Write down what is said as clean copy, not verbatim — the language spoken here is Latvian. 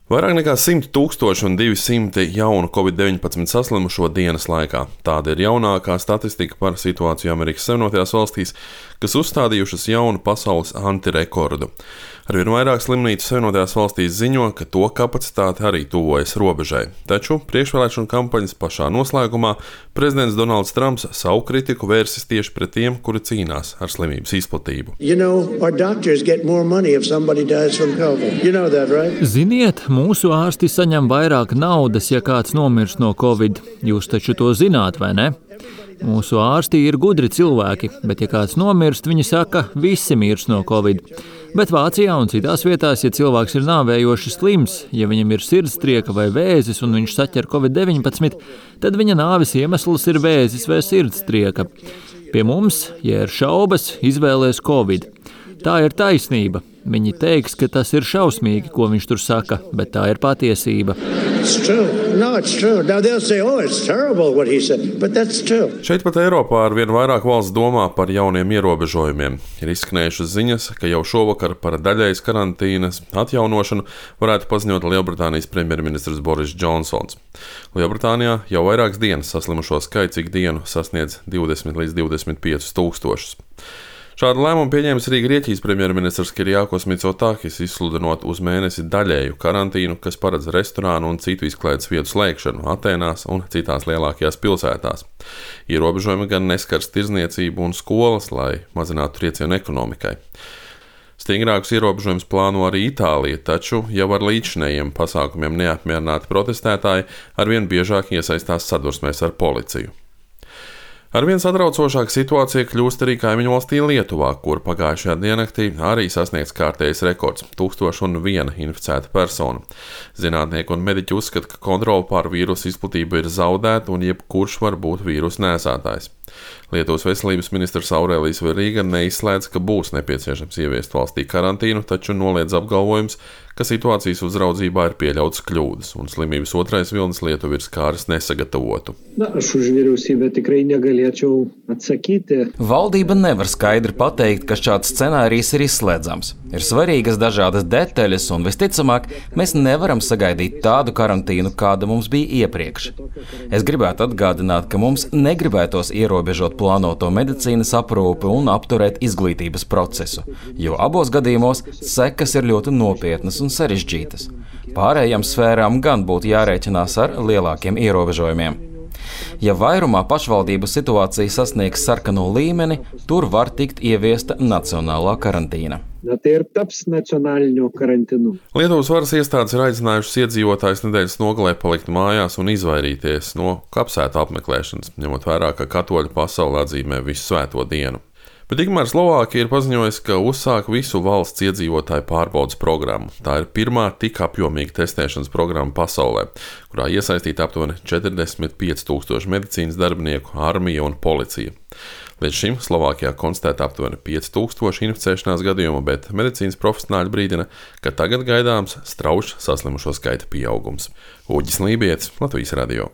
Vairāk nekā 100 200 jaunu Covid-19 saslimušo dienas laikā. Tāda ir jaunākā statistika par situāciju Amerikas Savienotajās valstīs, kas uzstādījušas jaunu pasaules antirekordu. Arvien vairāk slimnīcu Savienotajās valstīs ziņo, ka to kapacitāte arī tuvojas robežai. Taču priekšvēlēšanu kampaņas pašā noslēgumā prezidents Donalds Trumps savu kritiku vērsis tieši pret tiem, kuri cīnās ar slimības izplatību. Ziniet, mūsu ārsti saņem vairāk naudas, ja kāds nomirst no Covid. Jūs taču to zināt, vai ne? Mūsu ārsti ir gudri cilvēki, bet ja kāds nomirst, viņi saka, visi mirs no Covid. Bet Vācijā un citās vietās, ja cilvēks ir nāvējoši slims, ja viņam ir sirdstrieka vai vēzis un viņš saķer Covid-19, tad viņa nāves iemesls ir vēzis vai sirdstrieka. Pie mums, ja ir šaubas, izvēlēs Covid. Tā ir taisnība. Viņi teiks, ka tas ir šausmīgi, ko viņš tur saka, bet tā ir patiesība. Šeit pat Eiropā arvien vairāk valsts domā par jauniem ierobežojumiem. Ir izskanējušas ziņas, ka jau šovakar par daļējas karantīnas atjaunošanu varētu paziņot Lielbritānijas premjerministrs Boris Džonsons. Lielbritānijā jau vairākas dienas saslimušo skaits ikdienu sasniedz 20 līdz 25 tūkstošus. Šādu lēmumu pieņēmis arī Grieķijas premjerministrs Kyriakos Mitsotakis, izsludinot uz mēnesi daļēju karantīnu, kas paredz restorānu un citu izklaides vietu slēgšanu Atēnās un citās lielākajās pilsētās. Ierobežojumi gan neskars tirdzniecību un skolas, lai mazinātu triecienu ekonomikai. Stingrākus ierobežojumus plāno arī Itālija, taču jau ar līdzšinējiem pasākumiem neapmierināti protestētāji arvien biežāk iesaistās sadursmēs ar policiju. Arvien satraucošāka situācija kļūst arī kaimiņu valstī Lietuvā, kur pagājušajā diennaktī arī sasniegts kārtējs rekords - 1001 inficēta persona. Zinātnieki un mediķi uzskata, ka kontrole pār vīrusu izplatību ir zaudēta un jebkurš var būt vīrusu nēsātājs. Lietuvas veselības ministrs Aurelijs Verīga neizslēdz, ka būs nepieciešams ieviest valstī karantīnu, taču noliedz apgalvojums, ka situācijas uzraudzībā ir pieļautas kļūdas, un slimības otrais vilnis Lietuvu ir skāris nesagatavotu. Valdība nevar skaidri pateikt, ka šāds scenārijs ir izslēdzams. Ir svarīgas dažādas detaļas, un visticamāk, mēs nevaram sagaidīt tādu karantīnu, kāda mums bija iepriekš. Es gribētu atgādināt, ka mums negribētos ierobežot plānoto medicīnas aprūpi un apturēt izglītības procesu, jo abos gadījumos sekas ir ļoti nopietnas un sarežģītas. Pārējām sfērām gan būtu jārēķinās ar lielākiem ierobežojumiem. Ja vairumā pašvaldību situācija sasniegs sarkano līmeni, tur var tikt ieviesta nacionālā karantīna. Lietuvas varas iestādes ir aicinājušas iedzīvotājus nedēļas nogalē palikt mājās un izvairīties no kapsētu apmeklēšanas, ņemot vērā, ka katoļu pasaule atzīmē visu svēto dienu. Bet tikmēr Slovākija ir paziņojusi, ka uzsāk visu valsts iedzīvotāju pārbaudes programmu. Tā ir pirmā tik apjomīga testēšanas programma pasaulē, kurā iesaistīta aptuveni 45 000 medicīnas darbinieku, armija un policija. Līdz šim Slovākijā konstatēta aptuveni 5000 inficēšanās gadījumu, bet medicīnas profesionāļi brīdina, ka tagad gaidāms strauji saslimušo skaita pieaugums. Uģis Lībietis, Latvijas radio.